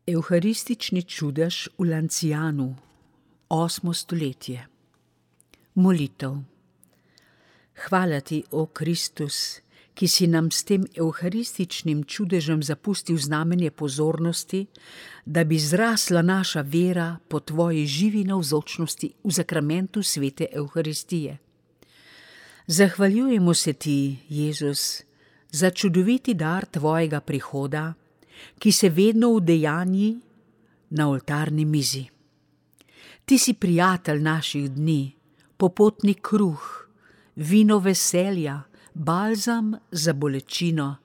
Evharistični čudež v Lancianu, 8. stoletje. Molitev. Hvala ti, o Kristus, ki si nam s tem evharističnim čudežem zapustil znamenje pozornosti, da bi zrasla naša vera po tvoji živi navzočnosti v zakramentu svete Evharistije. Zahvaljujemo se ti, Jezus, za čudoviti dar tvojega prihoda, ki se vedno udejanji na oltarni mizi. Ti si prijatelj naših dni, popotni kruh, vino veselja, balzam za bolečino,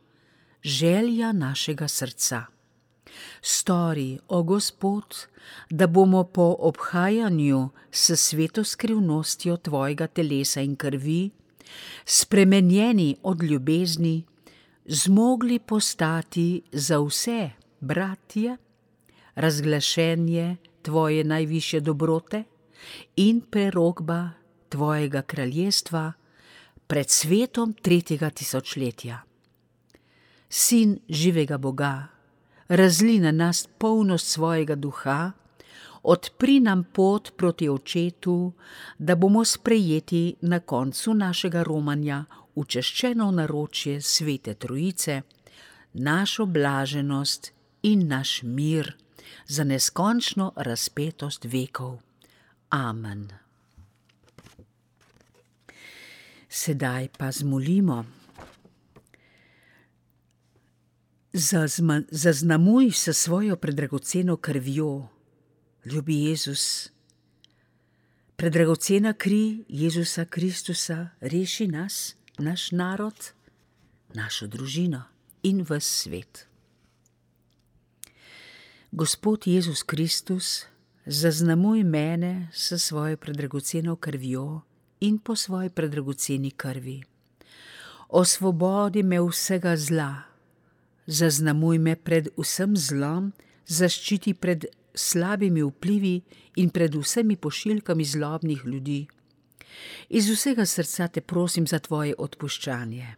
želja našega srca. Stori, o Gospod, da bomo po obhajanju s sveto skrivnostjo tvojega telesa in krvi, spremenjeni od ljubezni, zmogli postati za vse, bratje, razglašenje tvoje najvišje dobrote in prerokba tvojega kraljestva pred svetom 3. tisočletja. Sin živega Boga, razli na nas polnost svojega duha, odpri nam pot proti Očetu, da bomo sprejeti na koncu našega romanja v češčeno naročje Svete Trojice, našo blaženost in naš mir za neskončno razpetost vekov. Amen. Sedaj pa zmolimo. Zaznamuj s svojo predragoceno krvjo, ljubi Jezus. Predragocena kri Jezusa Kristusa reši nas, naš narod, našo družino in ves svet. Gospod Jezus Kristus, zaznamuj mene s svojo predragoceno krvjo in po svoji predragoceni krvi. Osvobodi me vsega zla, zaznamuj me pred vsem zlom, zaščiti pred slabimi vplivi in pred vsemi pošiljkami zlobnih ljudi. Iz vsega srca te prosim za tvoje odpuščanje.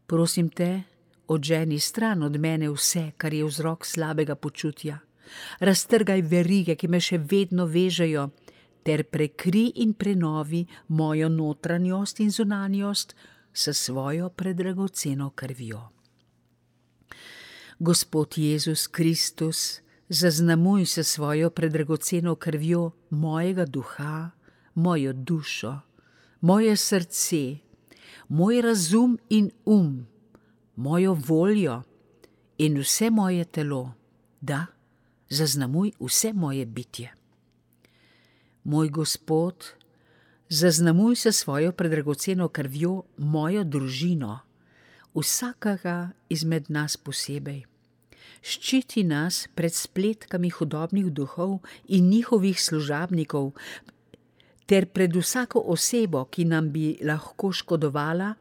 Prosim te, odženi stran od mene vse, kar je vzrok slabega počutja. Raztrgaj verige, ki me še vedno vežejo, ter prekri in prenovi mojo notranjost in zunanjost s svojo predragoceno krvjo. Gospod Jezus Kristus, zaznamuj s svojo predragoceno krvjo mojega duha, mojo dušo, moje srce, moj razum in mojo voljo in vse moje telo, da zaznamuj vse moje bitje. Moj Gospod, zaznamuj s svojo predragoceno krvjo mojo družino, vsakega izmed nas posebej. Ščiti nas pred spletkami hudobnih duhov in njihovih služabnikov, ter pred vsako osebo, ki nam bi lahko škodovala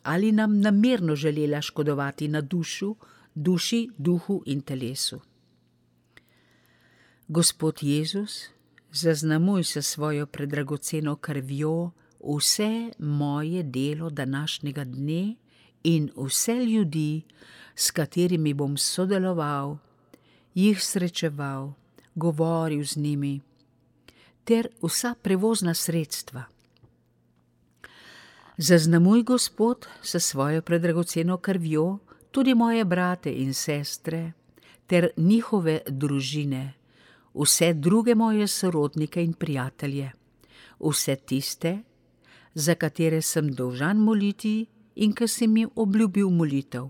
ali nam namerno želela škodovati na duši, duhu in telesu. Gospod Jezus, zaznamuj s svojo predragoceno krvjo vse moje delo današnjega dne in vse ljudi, s katerimi bom sodeloval, jih srečeval, govoril z njimi, ter vsa prevozna sredstva. Zaznamuj, Gospod, s svojo predragoceno krvjo tudi moje brate in sestre, ter njihove družine, vse druge moje sorodnike in prijatelje, vse tiste, za katere sem dolžan moliti in ki sem jim obljubil molitev.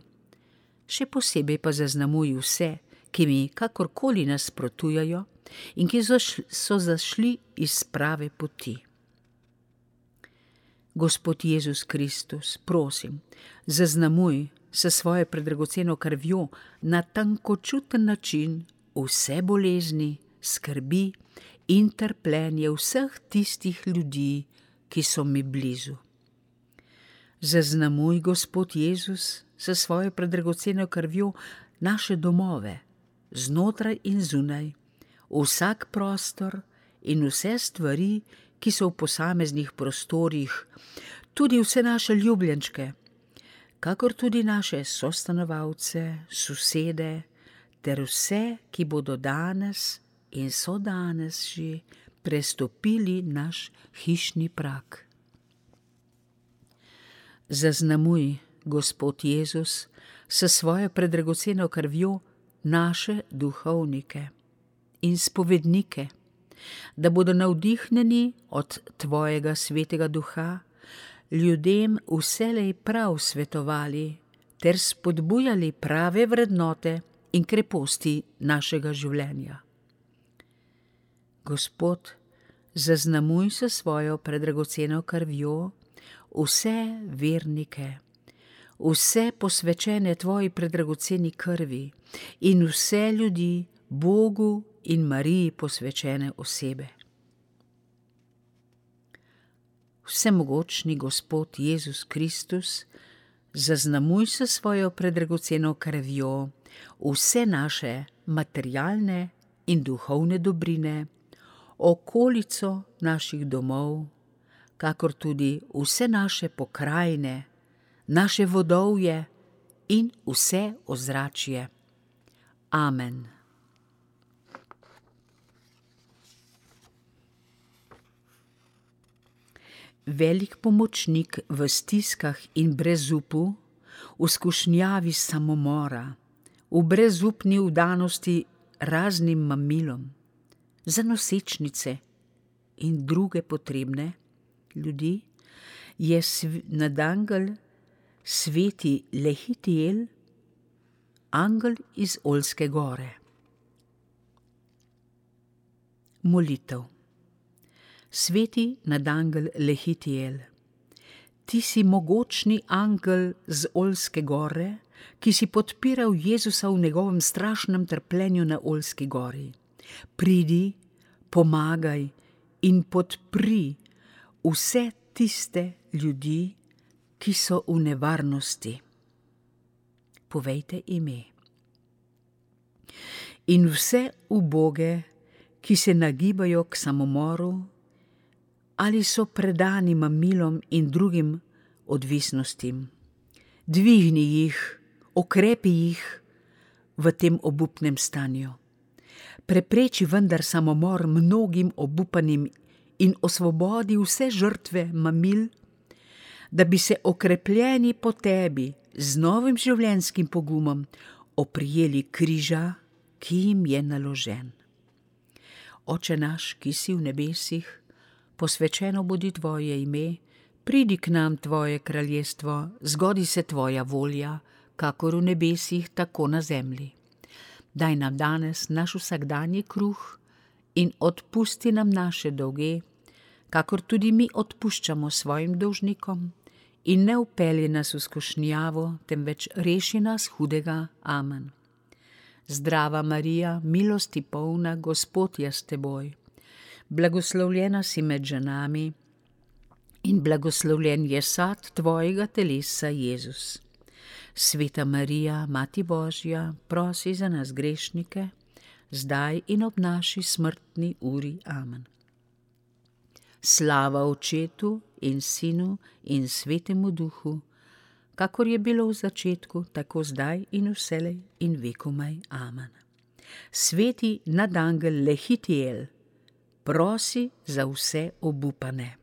Še posebej pa zaznamuj vse, ki mi kakorkoli nasprotujejo in ki so zašli iz prave poti. Gospod Jezus Kristus, prosim, zaznamuj s svojo predragoceno krvjo na tankočuten način vse bolezni, skrbi in trpljenje vseh tistih ljudi, ki so mi blizu. Zaznamuj, Gospod Jezus, s svojo predragoceno krvjo naše domove, znotraj in zunaj, vsak prostor in vse stvari, ki so v posameznih prostorih, tudi vse naše ljubljenčke, kakor tudi naše sostanovalce, sosede, ter vse, ki bodo danes in so danes že prestopili naš hišni prag. Zaznamuj, Gospod Jezus, s svojo predragoceno krvjo naše duhovnike in spovednike, da bodo navdihnjeni od tvojega svetega duha, ljudem vselej prav svetovali ter spodbujali prave vrednote in kreposti našega življenja. Gospod, zaznamuj s svojo predragoceno krvjo vse vernike, vse posvečene tvoji predragoceni krvi in vse ljudi Bogu in Mariji posvečene osebe. Vsemogočni Gospod Jezus Kristus, zaznamuj s svojo predragoceno krvjo vse naše materialne in duhovne dobrine, okolico naših domov, kakor tudi vse naše pokrajine, naše vodovje in vse ozračje. Amen. Velik pomočnik v stiskah in brezupu, v skušnjavi samomora, v brezupni vdanosti raznim mamilom, za nosečnice in druge potrebne ljudi, je nadangel sveti Lehitiel, angel iz Olske gore. Molitev. Sveti nadangel Lehitiel, ti si mogočni angel z Olske gore, ki si podpiral Jezusa v njegovem strašnem trpljenju na Olski gori. Pridi, pomagaj in podpri vse tiste ljudi, ki so v nevarnosti. Povejte ime. In vse uboge, ki se nagibajo k samomoru ali so predani mamilom in drugim odvisnostim. Dvigni jih, okrepi jih v tem obupnem stanju. Prepreči vendar samomor mnogim obupanim in osvobodi vse žrtve mamil, da bi se okrepljeni po tebi z novim življenjskim pogumom oprijeli križa, ki jim je naložen. Oče naš, ki si v nebesih, posvečeno bodi tvoje ime, pridi k nam tvoje kraljestvo, zgodi se tvoja volja, kakor v nebesih, tako na zemlji. Daj nam danes naš vsakdanji kruh in odpusti nam naše dolge, kakor tudi mi odpuščamo svojim dolžnikom, in ne vpelji nas v skušnjavo, temveč reši nas hudega. Amen. Zdrava Marija, milosti polna, Gospod je s teboj. Blagoslovljena si med ženami in blagoslovljen je sad tvojega telesa, Jezus. Sveta Marija, Mati Božja, prosi za nas grešnike, zdaj in ob naši smrtni uri. Amen. Slava Očetu in Sinu in Svetemu Duhu, kakor je bilo v začetku, tako zdaj in vselej in vekomaj. Amen. Sveti nadangel Lehitiel, prosi za vse obupane.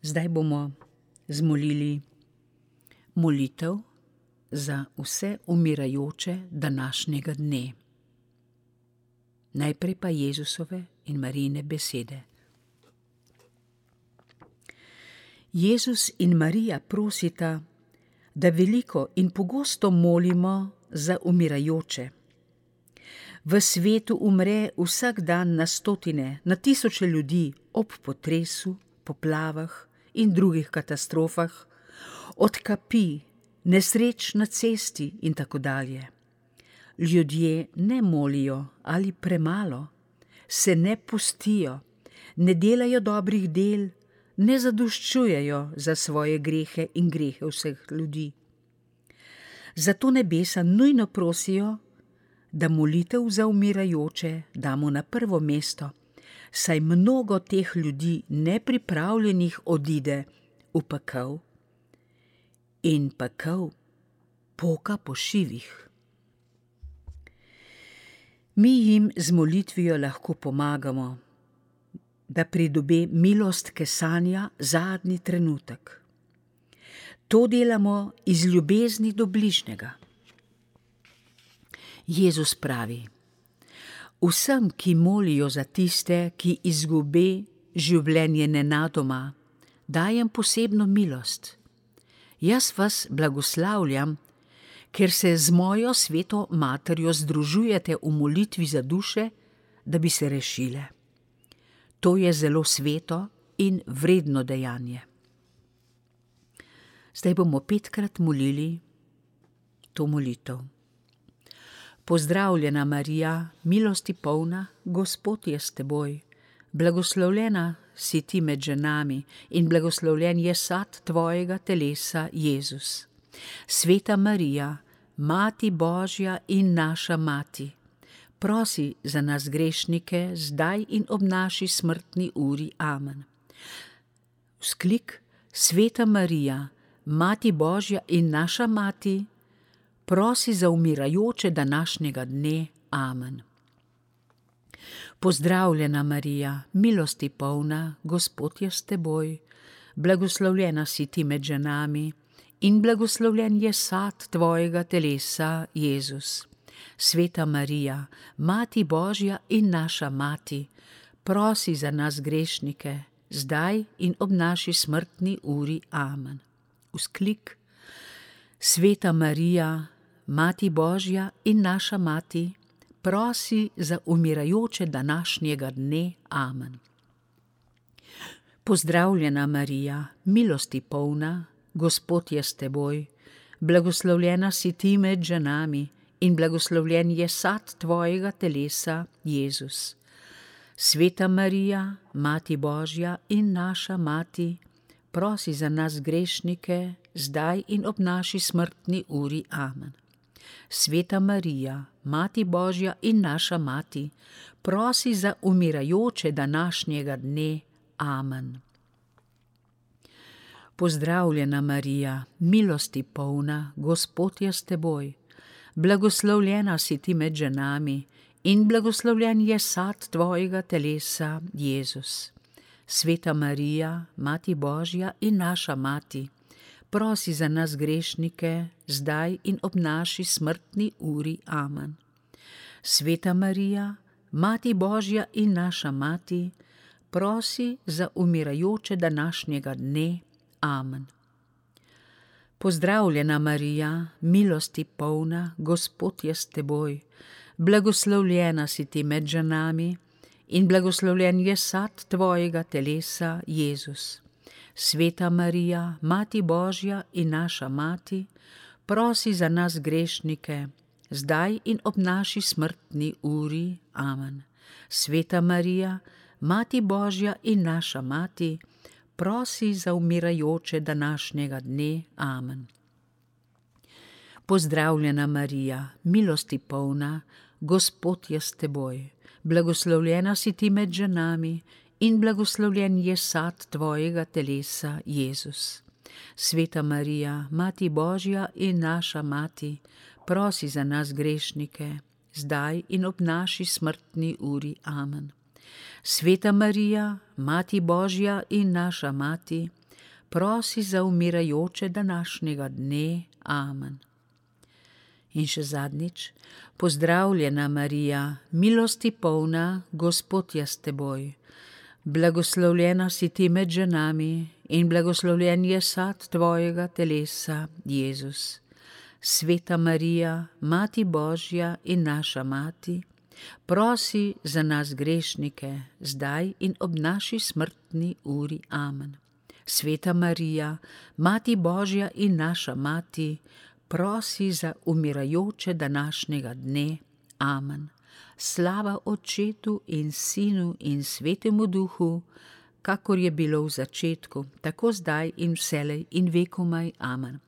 Zdaj bomo zmolili molitev za vse umirajoče današnjega dne. Najprej pa Jezusove in Marijine besede. Jezus in Marija prosita, da veliko in pogosto molimo za umirajoče. V svetu umre vsak dan na stotine, na tisoče ljudi ob potresu, poplavah in drugih katastrofah, od kapi, nesreč na cesti in tako dalje. Ljudje ne molijo ali premalo, se ne pustijo, ne delajo dobrih del, ne zadoščujejo za svoje grehe in grehe vseh ljudi. Zato nebesa nujno prosijo, da molitev za umirajoče damo na prvo mesto, saj mnogo teh ljudi nepripravljenih odide v pekel. In pekel poka po šivih. Mi jim z molitvijo lahko pomagamo, da pridobi milost kesanja zadnji trenutek. To delamo iz ljubezni do bližnjega. Jezus pravi: vsem, ki molijo za tiste, ki izgubi življenje nenadoma, dajem posebno milost. Jaz vas blagoslavljam, ker se z mojo sveto materjo združujete v molitvi za duše, da bi se rešile. To je zelo sveto in vredno dejanje. Zdaj bomo 5-krat molili to molitev. Pozdravljena Marija, milosti polna, Gospod je s teboj. Blagoslovljena si ti med ženami in blagoslovljen je sad tvojega telesa, Jezus. Sveta Marija, Mati Božja in naša Mati, prosi za nas grešnike, zdaj in ob naši smrtni uri. Amen. Vzklik: Sveta Marija, Mati Božja in naša Mati, prosi za umirajoče današnjega dne. Amen. Pozdravljena Marija, milosti polna, Gospod je s teboj. Blagoslovljena si ti med ženami in blagoslovljen je sad tvojega telesa, Jezus. Sveta Marija, Mati Božja in naša Mati, prosi za nas grešnike, zdaj in ob naši smrtni uri. Amen. Vzklik: Sveta Marija, Mati Božja in naša Mati, prosi za umirajoče današnjega dne. Amen. Pozdravljena Marija, milosti polna, Gospod je s teboj. Blagoslovljena si ti med ženami in blagoslovljen je sad tvojega telesa, Jezus. Sveta Marija, Mati Božja in naša Mati, prosi za nas grešnike, zdaj in ob naši smrtni uri. Amen. Sveta Marija, Mati Božja in naša Mati, prosi za umirajoče današnjega dne. Amen. Pozdravljena Marija, milosti polna, Gospod je s teboj. Blagoslovljena si ti med ženami in blagoslovljen je sad tvojega telesa, Jezus. Sveta Marija, Mati Božja in naša Mati, prosi za nas grešnike, zdaj in ob naši smrtni uri. Amen. Sveta Marija, Mati Božja in naša Mati, prosi za umirajoče današnjega dne. Amen. Pozdravljena Marija, milosti polna, Gospod je s teboj. Blagoslovljena si ti med ženami in blagoslovljen je sad tvojega telesa, Jezus. Sveta Marija, Mati Božja in naša Mati, prosi za nas grešnike, zdaj in ob naši smrtni uri. Amen. Sveta Marija, Mati Božja in naša Mati, prosi za umirajoče današnjega dne. Amen. Pozdravljena Marija, milosti polna, Gospod je s teboj. Blagoslovljena si ti med ženami in blagoslovljen je sad tvojega telesa, Jezus. Sveta Marija, Mati Božja in naša Mati, prosi za nas grešnike, zdaj in ob naši smrtni uri. Amen. Sveta Marija, Mati Božja in naša Mati, prosi za umirajoče današnjega dne. Amen. In še zadnjič: pozdravljena Marija, milosti polna, Gospod je s teboj. Blagoslovljena si ti med ženami in blagoslovljen je sad tvojega telesa, Jezus. Sveta Marija, Mati Božja in naša Mati, prosi za nas grešnike, zdaj in ob naši smrtni uri. Amen. Sveta Marija, Mati Božja in naša Mati, prosi za umirajoče današnjega dne. Amen. Slava Očetu in Sinu in Svetemu Duhu, kakor je bilo v začetku, tako zdaj in vselej in vekomaj. Amen.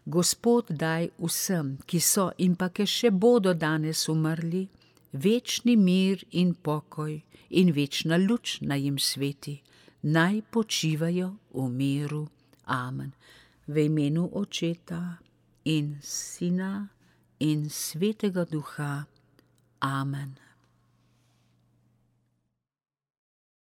Gospod daj vsem, ki so in pa ki še bodo danes umrli, večni mir in pokoj in večna luč naj jim sveti, naj počivajo v miru. Amen. V imenu Očeta in Sina in Svetega Duha. Amen.